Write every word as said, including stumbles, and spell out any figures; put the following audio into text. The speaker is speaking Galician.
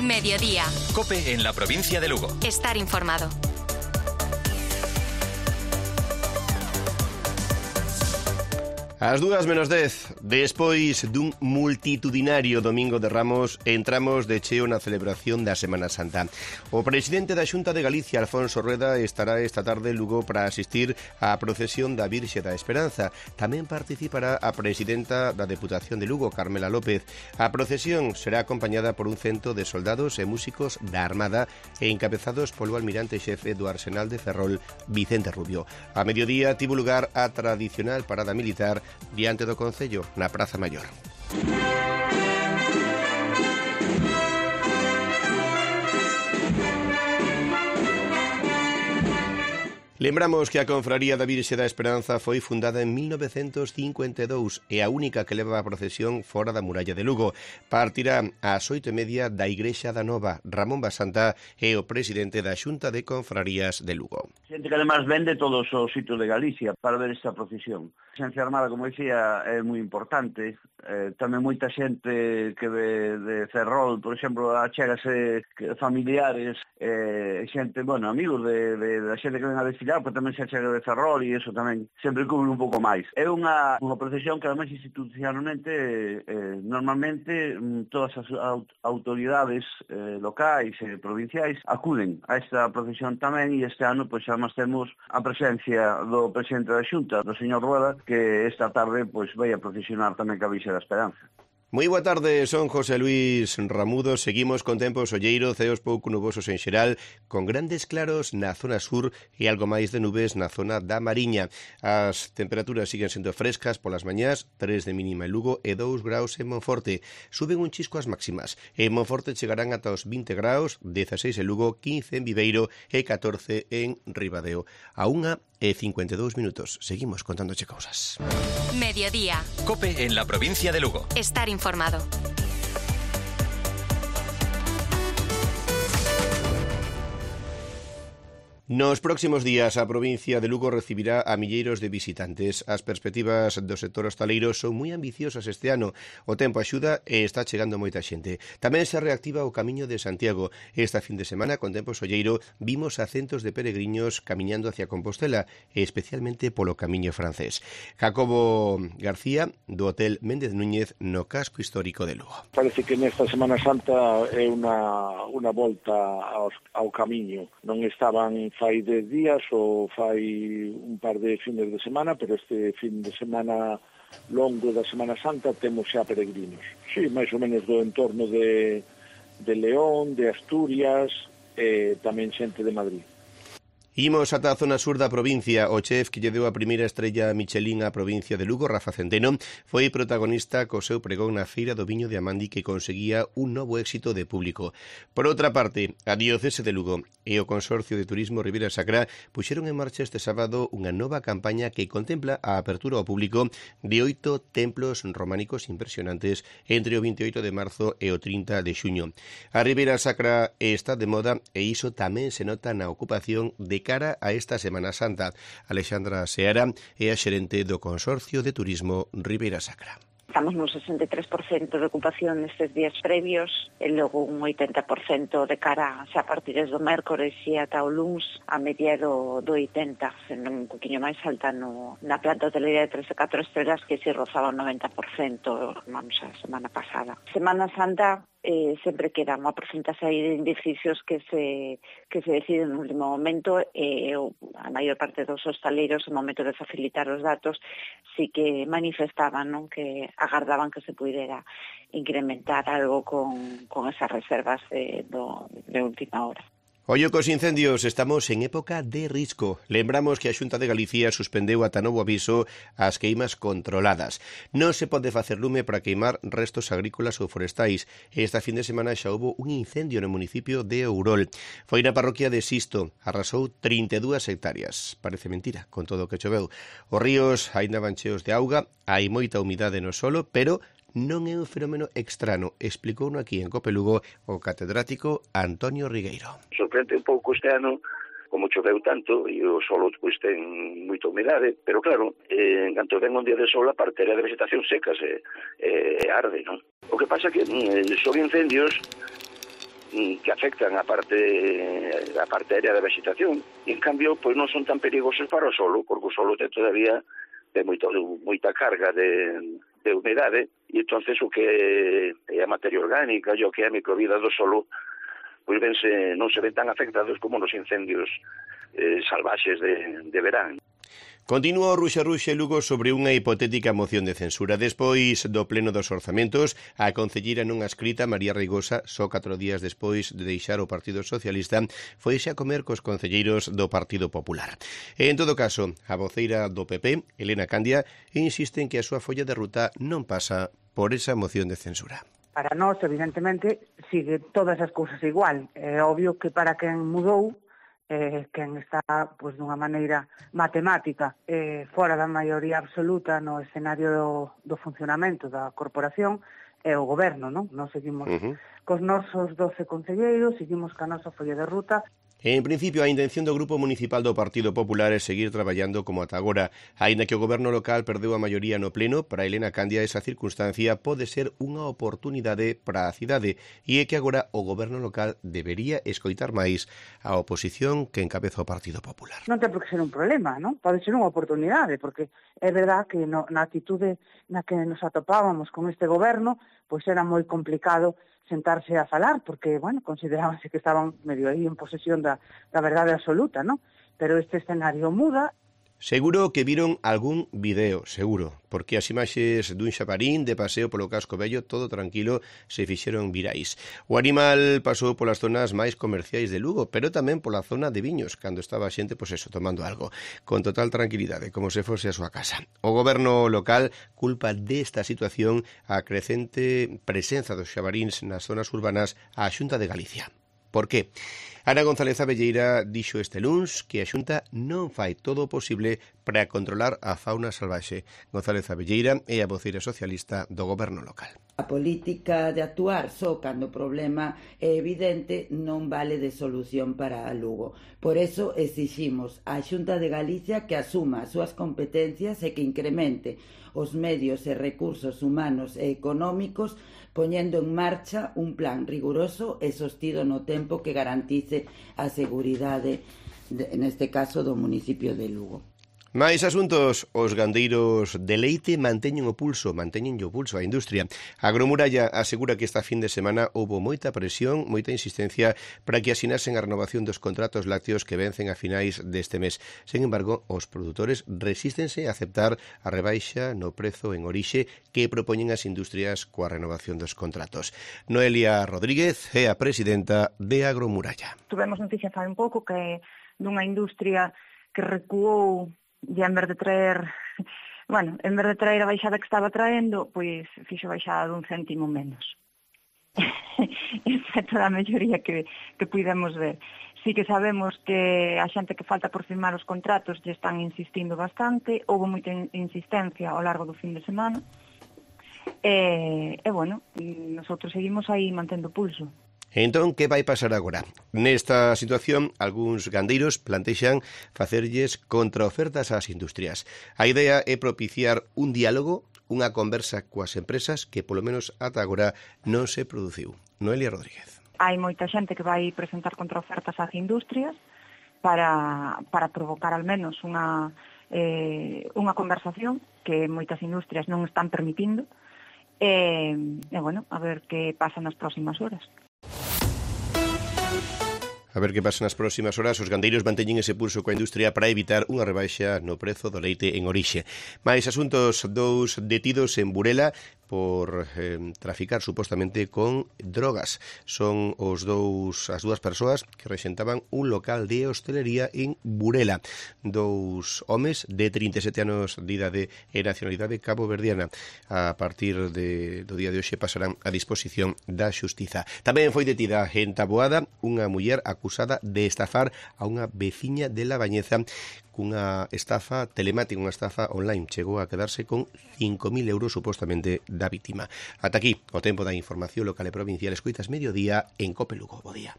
Mediodía. COPE en la provincia de Lugo. Estar informado. As dúas menos dez, despois dun multitudinario Domingo de Ramos, entramos de cheo na celebración da Semana Santa. O presidente da Xunta de Galicia, Alfonso Rueda, estará esta tarde en Lugo para asistir á procesión da Virxe da Esperanza. Tamén participará a presidenta da Deputación de Lugo, Carmela López. A procesión será acompañada por un cento de soldados e músicos da Armada e encabezados polo almirante xefe do Arsenal de Ferrol, Vicente Rubio. A mediodía tivo lugar a tradicional parada militar diante do Concello, na Praza Maior. Lembramos que a Confraría da Virxe da Esperanza foi fundada en mil novecentos cincuenta e dous e a única que leva a procesión fora da muralla de Lugo. Partirá ás oito e media da Igrexa da Nova. Ramón Basanta é o presidente da Xunta de Confrarías de Lugo. Xente que además vende todos os sitios de Galicia para ver esta procesión. A Xencia Armada, como dicía, é moi importante. Eh, tamén moita xente que ve de Ferrol, por exemplo, achégase familiares, eh, xente, bueno, amigos de, de, de xente que ven a desfilar, pero tamén se achega de Ferrol e iso tamén sempre cubre un pouco máis. É unha, unha procesión que además institucionalmente, eh, normalmente, todas as autoridades eh, locais e provinciais acuden a esta procesión tamén, e este ano, pois, además temos a presencia do presidente da Xunta, do señor Rueda, que esta tarde, pois, vai a procesionar tamén ca Virxe da Esperanza. Moi boa tarde, son José Luis Ramudo. Seguimos con tempo solleiro, ceos pouco nubosos en xeral, con grandes claros na zona sur e algo máis de nubes na zona da Mariña. As temperaturas siguen sendo frescas polas mañás, tres de mínima en Lugo e dous graus en Monforte. Suben un chisco as máximas. En Monforte chegarán ata os vinte graus, dezaseis en Lugo, quince en Viveiro e catorce en Ribadeo. A unha e cincuenta e dous minutos. Seguimos contándoche cousas. Mediodía. COPE en la provincia de Lugo. Estar informado. Nos próximos días a provincia de Lugo recibirá a milleiros de visitantes. As perspectivas do sector hostaleiro son moi ambiciosas este ano. O tempo axuda e está chegando moita xente. Tamén se reactiva o Camiño de Santiago. Esta fin de semana, con tempo solleiro, vimos a centos de peregrinos camiñando hacia Compostela, e especialmente polo Camiño francés. Jacobo García, do Hotel Méndez Núñez, no casco histórico de Lugo. Parece que nesta Semana Santa é unha, unha volta aos, ao Camiño. Non estaban fai dez días ou fai un par de fines de semana, pero este fin de semana longo da Semana Santa temos xa peregrinos. Sí, máis ou menos do entorno de, de León, de Asturias e tamén xente de Madrid. Imos ata a zona sur da provincia. O chef que lle deu a primeira estrella Michelin á provincia de Lugo, Rafa Centeno, foi protagonista co seu pregón na Feira do Viño de Amandi, que conseguía un novo éxito de público. Por outra parte, a Diocese de Lugo e o Consorcio de Turismo Ribeira Sacra puxeron en marcha este sábado unha nova campaña que contempla a apertura ao público de oito templos románicos impresionantes entre o veintioito de marzo e o trinta de xuño. A Ribeira Sacra está de moda e iso tamén se nota na ocupación de cara a esta Semana Santa. Alexandra Seara é a xerente do Consorcio de Turismo Ribeira Sacra. Estamos no sesenta e tres por cento de ocupación nestes días previos e logo un oitenta por cento de cara xa a partir do mércores e ata o luns a media do, do oitenta, sendo un poquinho máis alta no, na planta hotelería de tres e catro estrelas, que se rozaba o noventa por cento, vamos, a semana pasada. Semana Santa eh, sempre queda unha porcentaxe de indecisos que se que se deciden no último momento, e eh, a maior parte dos hostaleiros, no momento de facilitar os datos, sí que manifestaban, non, que agardaban que se pudera incrementar algo con, con esas reservas de, do, de última hora. Ollo cos incendios, estamos en época de risco. Lembramos que a Xunta de Galicia suspendeu ata novo aviso as queimas controladas. Non se pode facer lume para queimar restos agrícolas ou forestais. Esta fin de semana xa houbo un incendio no municipio de Ourol. Foi na parroquia de Sisto, arrasou trinta e dúas hectáreas. Parece mentira, con todo o que choveu. Os ríos aínda van cheos de auga, hai moita humidade no solo, pero non é un fenómeno extraño, explicouno aquí en COPE Lugo o catedrático Antonio Rigueiro. Sorprende un pouco este ano, como choveu tanto, e o solo pois, ten moita humidade, pero claro, eh, en canto ven un día de sol, a parteira de vegetación seca se eh, arde, non? O que pasa que eh, son incendios que afectan a parte a parte aérea da vegetación. En cambio, pois non son tan perigosos para o solo, porque o solo ten todavía de moito, moita carga de, de humedade, e entonces o que é a materia orgánica e o que é a microvida do solo, pois vense, non se ven tan afectados como nos incendios eh, salvaxes de, de verán. Continúa o ruxe-ruxe Lugo sobre unha hipotética moción de censura. Despois do pleno dos orzamentos, a concelleira nunha escrita, María Reigosa, só catro días despois de deixar o Partido Socialista, foise a comer cos concelleiros do Partido Popular. E, en todo caso, a voceira do P P, Elena Candia, insiste en que a súa folla de ruta non pasa por esa moción de censura. Para nós, evidentemente, sigue todas as cousas igual. É obvio que para quen mudou, eh, quen está pois, dunha maneira matemática eh, fora da maioría absoluta no escenario do, do funcionamento da corporación, é o goberno, non? Nós seguimos uh-huh. cos nosos doce concelleiros, seguimos ca nosa folla de ruta. En principio, a intención do Grupo Municipal do Partido Popular é seguir traballando como ata agora. Aínda que o goberno local perdeu a maioría no pleno, para Elena Candia esa circunstancia pode ser unha oportunidade para a cidade e é que agora o goberno local debería escoitar máis a oposición que encabeza o Partido Popular. Non ten por que ser un problema, non? Pode ser unha oportunidade, porque é verdad que no, na actitude na que nos atopábamos con este goberno, pois era moi complicado sentarse a falar, porque, bueno, considerábanse que estaban medio aí en posesión da, da verdade absoluta, ¿no? Pero este escenario muda. Seguro que viron algún video, seguro, porque as imaxes dun xaparín de paseo polo casco vello, todo tranquilo, se fixeron virais. O animal pasou polas zonas máis comerciais de Lugo, pero tamén pola zona de Viños, cando estaba a xente, pois eso, tomando algo, con total tranquilidade, como se fose a súa casa. O goberno local culpa desta situación a crecente presenza dos xabaríns nas zonas urbanas á Xunta de Galicia. Por qué? Ana González Abelleira dixo este luns que a Xunta non fai todo o posible para controlar a fauna salvaxe. González Abelleira é a voceira socialista do goberno local. A política de actuar só cando o problema é evidente non vale de solución para Lugo. Por eso exiximos á Xunta de Galicia que asuma as súas competencias e que incremente os medios e recursos humanos e económicos poñendo en marcha un plan riguroso e sostido no tempo que garantice a seguridade, neste caso, do municipio de Lugo. Mais asuntos, os gandeiros de leite manteñen o pulso, manteñen o pulso á industria. A Agromuralla asegura que esta fin de semana houbo moita presión, moita insistencia para que asinasen a renovación dos contratos lácteos que vencen a finais deste mes. Sen embargo, os produtores resístense a aceptar a rebaixa no prezo en orixe que propoñen as industrias coa renovación dos contratos. Noelia Rodríguez é a presidenta de Agromuralla. Tuvemos noticia fai un pouco que dunha industria que recuou e en vez de traer, bueno, en vez de traer a baixada que estaba traendo, pois fixo baixada dun céntimo menos. Esa é toda a melloría que, que pudemos ver. Sí que sabemos que a xente que falta por firmar os contratos lle están insistindo bastante, houve moita insistencia ao largo do fin de semana, e, e bueno, nosotros seguimos aí mantendo pulso. Entón, que vai pasar agora? Nesta situación, algúns gandeiros plantexan facerlles contraofertas ás industrias. A idea é propiciar un diálogo, unha conversa coas empresas que, polo menos ata agora, non se produciu. Noelia Rodríguez. Hai moita xente que vai presentar contraofertas ás industrias para, para provocar al menos unha, eh, unha conversación que moitas industrias non están permitindo. E, e bueno, a ver que pasa nas próximas horas. A ver que pasa nas próximas horas. Os gandeiros manteñen ese pulso coa industria para evitar unha rebaixa no prezo do leite en orixe. Mais asuntos, dous detidos en Burela por eh, traficar supostamente con drogas. Son os dous as dúas persoas que rexentaban un local de hostelería en Burela. Dous homes de trinta e sete anos de idade e nacionalidade caboverdiana. A partir de, do día de hoxe pasarán a disposición da xustiza. Tamén foi detida en Taboada unha muller acusada de estafar a unha veciña de La Bañeza cunha estafa telemática, unha estafa online. Chegou a quedarse con cinco mil euros supostamente da vítima. Ata aquí o tempo da información local e provincial. Escoitas Mediodía en Cope Lugo. Bo día.